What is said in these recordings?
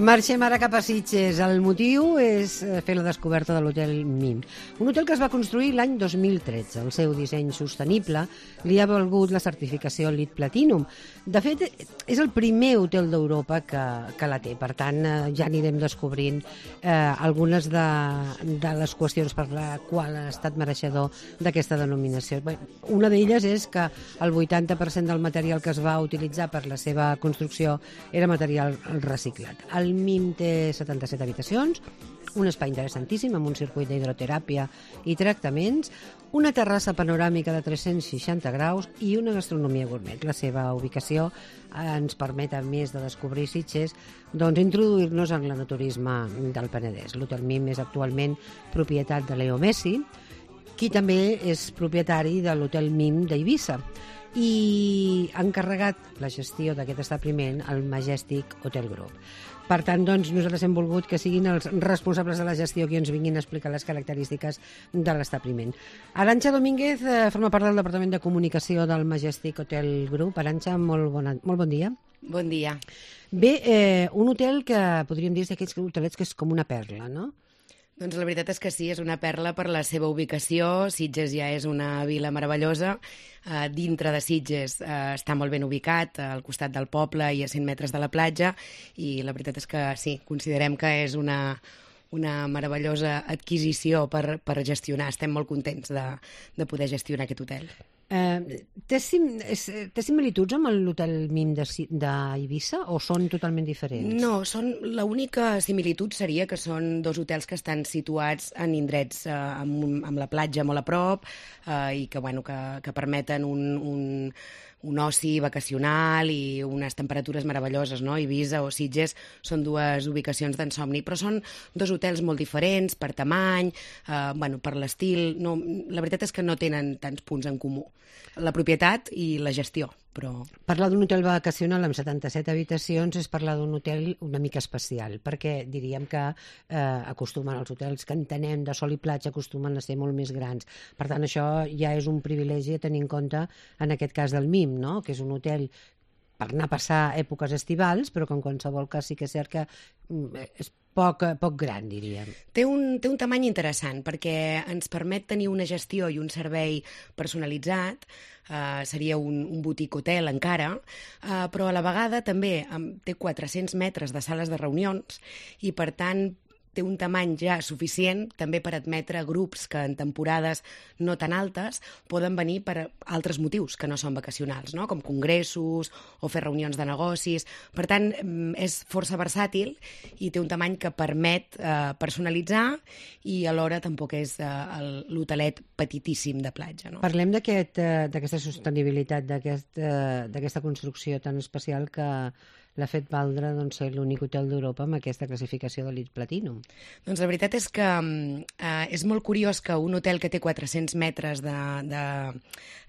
Marxem ara cap a Sitges. El motiu és fer la descoberta de l'Hotel MIM. Un hotel que es va construir l'any 2013. El seu disseny sostenible li ha valgut la certificació LEED Platinum. De fet, és el primer hotel d'Europa que la té. Per tant, ja anirem descobrint algunes de les qüestions per la qual ha estat mereixedor d'aquesta denominació. Una d'elles és que el 80% del material que es va utilitzar per la seva construcció era material reciclat. El MIM té 77 habitacions, un espai interessantíssim amb un circuit d'hidroteràpia i tractaments, una terrassa panoràmica de 360 graus i una gastronomia gourmet. La seva ubicació ens permet, a més de descobrir Sitges, introduir-nos en l'enoturisme del Penedès. L'Hotel MIM és actualment propietat de Leo Messi, qui també és propietari de l'Hotel MIM d'Eivissa, i ha encarregat la gestió d'aquest establiment al Majestic Hotel Group. Per tant, nosaltres hem volgut que siguin els responsables de la gestió qui ens vinguin a explicar les característiques de l'establiment. Arantxa Domínguez forma part del Departament de Comunicació del Majestic Hotel Group. Arantxa, molt bon dia. Bon dia. Bé, un hotel que podríem dir d'aquests hotelets que és com una perla, no? Doncs la veritat és que sí, és una perla per la seva ubicació. Sitges ja és una vila meravellosa. Dintre de Sitges està molt ben ubicat, al costat del poble i a 100 metres de la platja, i la veritat és que sí, considerem que és una meravellosa adquisició per gestionar. Estem molt contents de poder gestionar aquest hotel. Té similituds amb l'Hotel MIM d'Eivissa o són totalment diferents? No, l'única similitud seria que són dos hotels que estan situats en indrets amb la platja molt a prop i que permeten un oci vacacional i unes temperatures meravelloses, no? Eivissa o Sitges són dues ubicacions d'ensomni, però són dos hotels molt diferents per tamany, per l'estil. No, la veritat és que no tenen tants punts en comú. La propietat i la gestió, però... Parlar d'un hotel vacacional amb 77 habitacions és parlar d'un hotel una mica especial, perquè diríem que acostumen els hotels que entenem de sol i platja acostumen a ser molt més grans. Per tant, això ja és un privilegi a tenir en compte en aquest cas del MIM, no? Que és un hotel per anar a passar èpoques estivals, però que en qualsevol cas sí que és cert que és poc gran, diríem. Té un tamany interessant perquè ens permet tenir una gestió i un servei personalitzat, seria un boutique hotel encara, però a la vegada també té 400 metres de sales de reunions i per tant té un tamany ja suficient també per admetre grups que en temporades no tan altes poden venir per altres motius que no són vacacionals, no? Com congressos o fer reunions de negocis. Per tant, és força versàtil i té un tamany que permet personalitzar i alhora tampoc és l'hotelet petitíssim de platja, no? Parlem d'aquesta sostenibilitat, d'aquesta construcció tan especial que l'ha fet valdre ser l'únic hotel d'Europa amb aquesta classificació de LEED Platinum. Doncs la veritat és que és molt curiós que un hotel que té 400 metres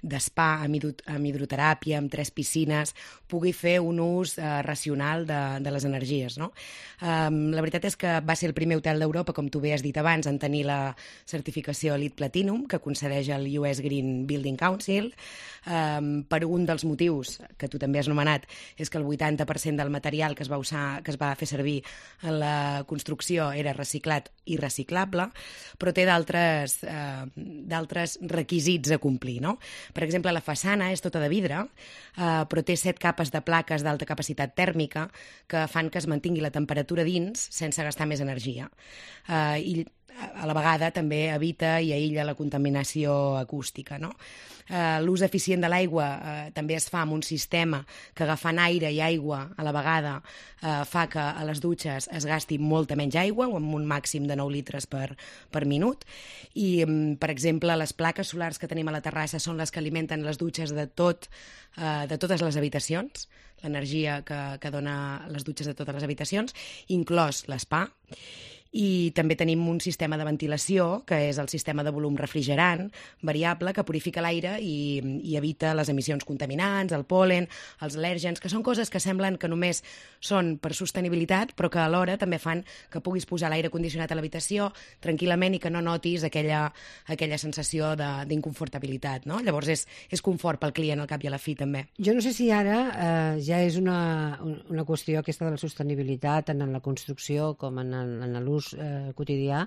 d'espa amb hidroteràpia, amb 3 piscines, pugui fer un ús racional de les energies, no? La veritat és que va ser el primer hotel d'Europa, com tu bé has dit abans, en tenir la certificació LEED Platinum, que concedeix el US Green Building Council. Per un dels motius, que tu també has anomenat, és que el 80% del material que es va fer servir en la construcció era reciclat i reciclable, però té d'altres requisits a complir, no? Per exemple, la façana és tota de vidre, però té 7 capes de plaques d'alta capacitat tèrmica que fan que es mantingui la temperatura dins sense gastar més energia. I a la vegada també evita i aïlla la contaminació acústica, no? L'ús eficient de l'aigua també es fa amb un sistema que agafant aire i aigua a la vegada fa que a les dutxes es gasti molta menys aigua, amb un màxim de 9 litres per minut. I, per exemple, les plaques solars que tenim a la terrassa són les que alimenten les dutxes de totes les habitacions, l'energia que dona les dutxes de totes les habitacions, inclòs l'espa. I també tenim un sistema de ventilació, que és el sistema de volum refrigerant variable, que purifica l'aire i evita les emissions contaminants, el pol·len, els al·lèrgens, que són coses que semblen que només són per sostenibilitat, però que alhora també fan que puguis posar l'aire condicionat a l'habitació tranquil·lament i que no notis aquella sensació d'inconfortabilitat, no? Llavors és confort pel client al cap i a la fi, també. Jo no sé si ara ja és una qüestió aquesta de la sostenibilitat en la construcció com en l'ús quotidià.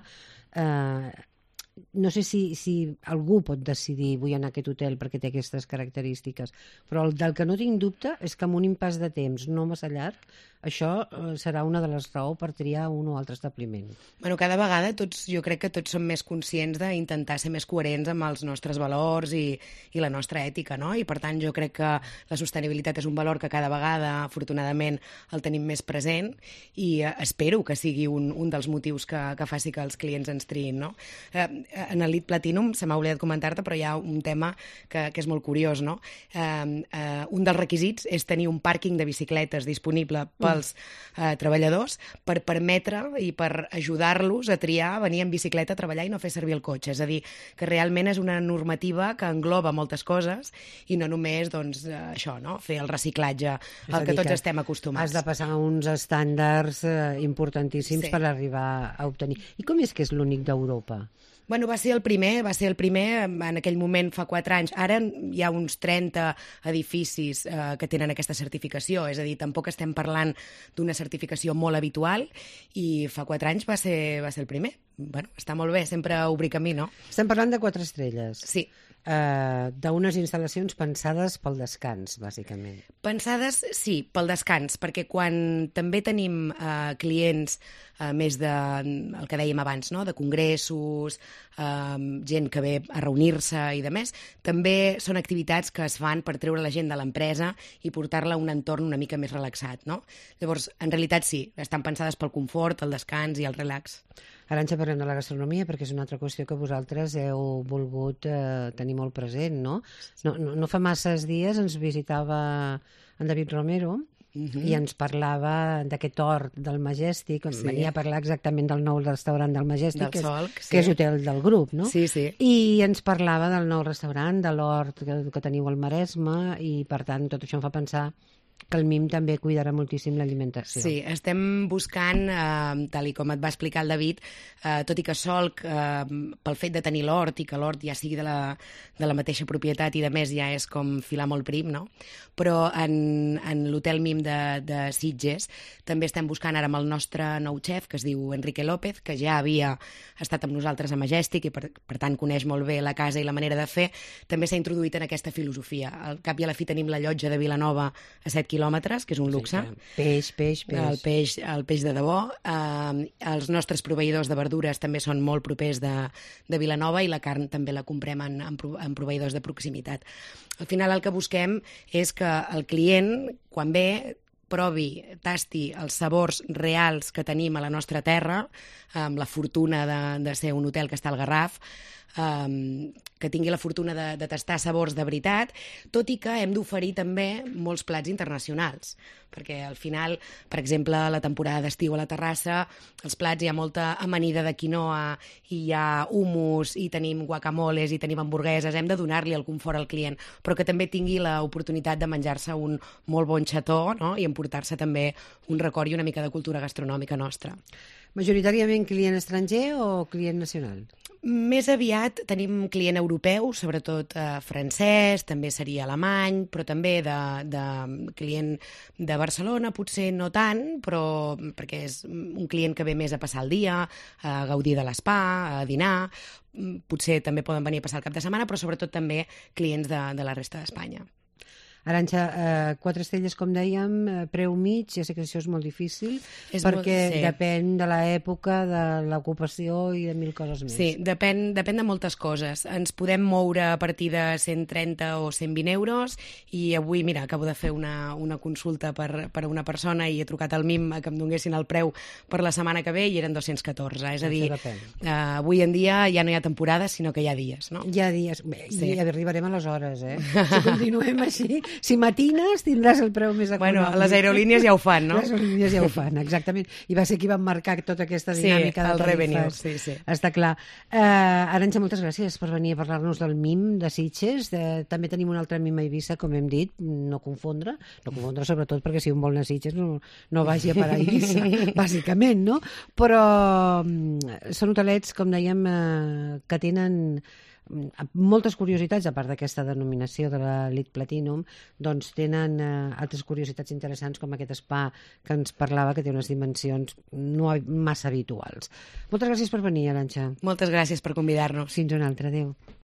No sé si algú pot decidir vull anar a aquest hotel perquè té aquestes característiques, però del que no tinc dubte és que amb un impàs de temps no massa llarg, això serà una de les raons per triar un o altre establiment. Bueno, cada vegada jo crec que tots som més conscients d'intentar ser més coherents amb els nostres valors i la nostra ètica, no? I per tant jo crec que la sostenibilitat és un valor que cada vegada, afortunadament, el tenim més present i espero que sigui un dels motius que faci que els clients ens triïn, no? En el LEED Platinum, se m'ha oblidat comentar-te, però hi ha un tema que és molt curiós, no? Un dels requisits és tenir un pàrquing de bicicletes disponible pels treballadors per permetre i per ajudar-los a triar venir en bicicleta a treballar i no fer servir el cotxe. És a dir, que realment és una normativa que engloba moltes coses i no només, doncs, això, no? Fer el reciclatge al que tots estem acostumats. Has de passar uns estàndards importantíssims per arribar a obtenir. I com és que és l'únic d'Europa? Bueno, va ser el primer en aquell moment fa 4 anys. Ara hi ha uns 30 edificis que tenen aquesta certificació, és a dir, tampoc estem parlant d'una certificació molt habitual i fa 4 anys va ser el primer. Bueno, està molt bé, sempre obrir camí, no? Estem parlant de 4 estrelles. Sí. D'unes instal·lacions pensades pel descans, bàsicament. Pensades, sí, pel descans, perquè quan també tenim clients més el que dèiem abans, no? De congressos, gent que ve a reunir-se i de més, també són activitats que es fan per treure la gent de l'empresa i portar-la a un entorn una mica més relaxat, no? Llavors, en realitat sí, estan pensades pel confort, el descans i el relax. Arantxa, parlem de la gastronomia, perquè és una altra qüestió que vosaltres heu volgut tenir molt present, no? No fa masses dies ens visitava en David Romero i ens parlava d'aquest hort del Majestic, venia a parlar exactament del nou restaurant del Majestic, que és hotel del grup, no? Sí, sí. I ens parlava del nou restaurant, de l'hort que teniu al Maresme, i per tant tot això em fa pensar que el MIM també cuidarà moltíssim l'alimentació. Sí, estem buscant, tal i com et va explicar el David, tot i que Solc, pel fet de tenir l'hort i que l'hort ja sigui de la mateixa propietat i de més ja és com filar molt prim, no? Però en l'hotel MIM de Sitges també estem buscant ara amb el nostre nou xef, que es diu Enrique López, que ja havia estat amb nosaltres a Majestic i per tant coneix molt bé la casa i la manera de fer, també s'ha introduït en aquesta filosofia. Al cap i a la fi tenim la llotja de Vilanova a 7 quilòmetres, que és un luxe. Peix. El peix de debò. Els nostres proveïdors de verdures també són molt propers de Vilanova i la carn també la comprem en proveïdors de proximitat. Al final el que busquem és que el client, quan ve, provi, tasti els sabors reals que tenim a la nostra terra, amb la fortuna de ser un hotel que està al Garraf, que tingui la fortuna de tastar sabors de veritat, tot i que hem d'oferir també molts plats internacionals, perquè al final, per exemple, a la temporada d'estiu a la terrassa, els plats hi ha molta amanida de quinoa, i hi ha hummus, i tenim guacamoles, i tenim hamburgueses, hem de donar-li el confort al client, però que també tingui l'oportunitat de menjar-se un molt bon xató, no? I emportar-se també un record i una mica de cultura gastronòmica nostra. Majoritàriament client estranger o client nacional? Més aviat tenim client europeu, sobretot francès, també seria alemany, però també de client de Barcelona, potser no tant, però perquè és un client que ve més a passar el dia, a gaudir de l'espa, a dinar, potser també poden venir a passar el cap de setmana, però sobretot també clients de la resta d'Espanya. Arantxa, 4 estrelles, com dèiem, preu mig, ja sé que això és molt difícil, perquè depèn de l'època, de l'ocupació i de 1000 coses més. Sí, depèn de moltes coses. Ens podem moure a partir de 130 o 120 euros i avui, mira, acabo de fer una consulta per a una persona i he trucat al MIM que em donguessin el preu per la setmana que ve i eren 214. És a dir, avui en dia ja no hi ha temporades, sinó que hi ha dies, no? Hi ha dies. I arribarem a les hores, Si continuem així, Si matines tindràs el preu més econòmic. Bueno, les aerolínies ja ho fan, no? Les aerolínies ja ho fan, exactament. I va ser qui van marcar tota aquesta dinàmica de tarifes. revenue, sí. Està clar. Arantxa, moltes gràcies per venir a parlar-nos del MIM de Sitges. També tenim un altre MIM a Eivissa, com hem dit, no confondre sobretot perquè si un vol anar a Sitges no vagi a parar a Eivissa, bàsicament, no? Però són hotelets, com dèiem, que tenen moltes curiositats, a part d'aquesta denominació de l'Elite Platinum, doncs tenen altres curiositats interessants, com aquest spa que ens parlava, que té unes dimensions no massa habituals. Moltes gràcies per venir, Arantxa. Moltes gràcies per convidar-nos. Fins una altra, adéu.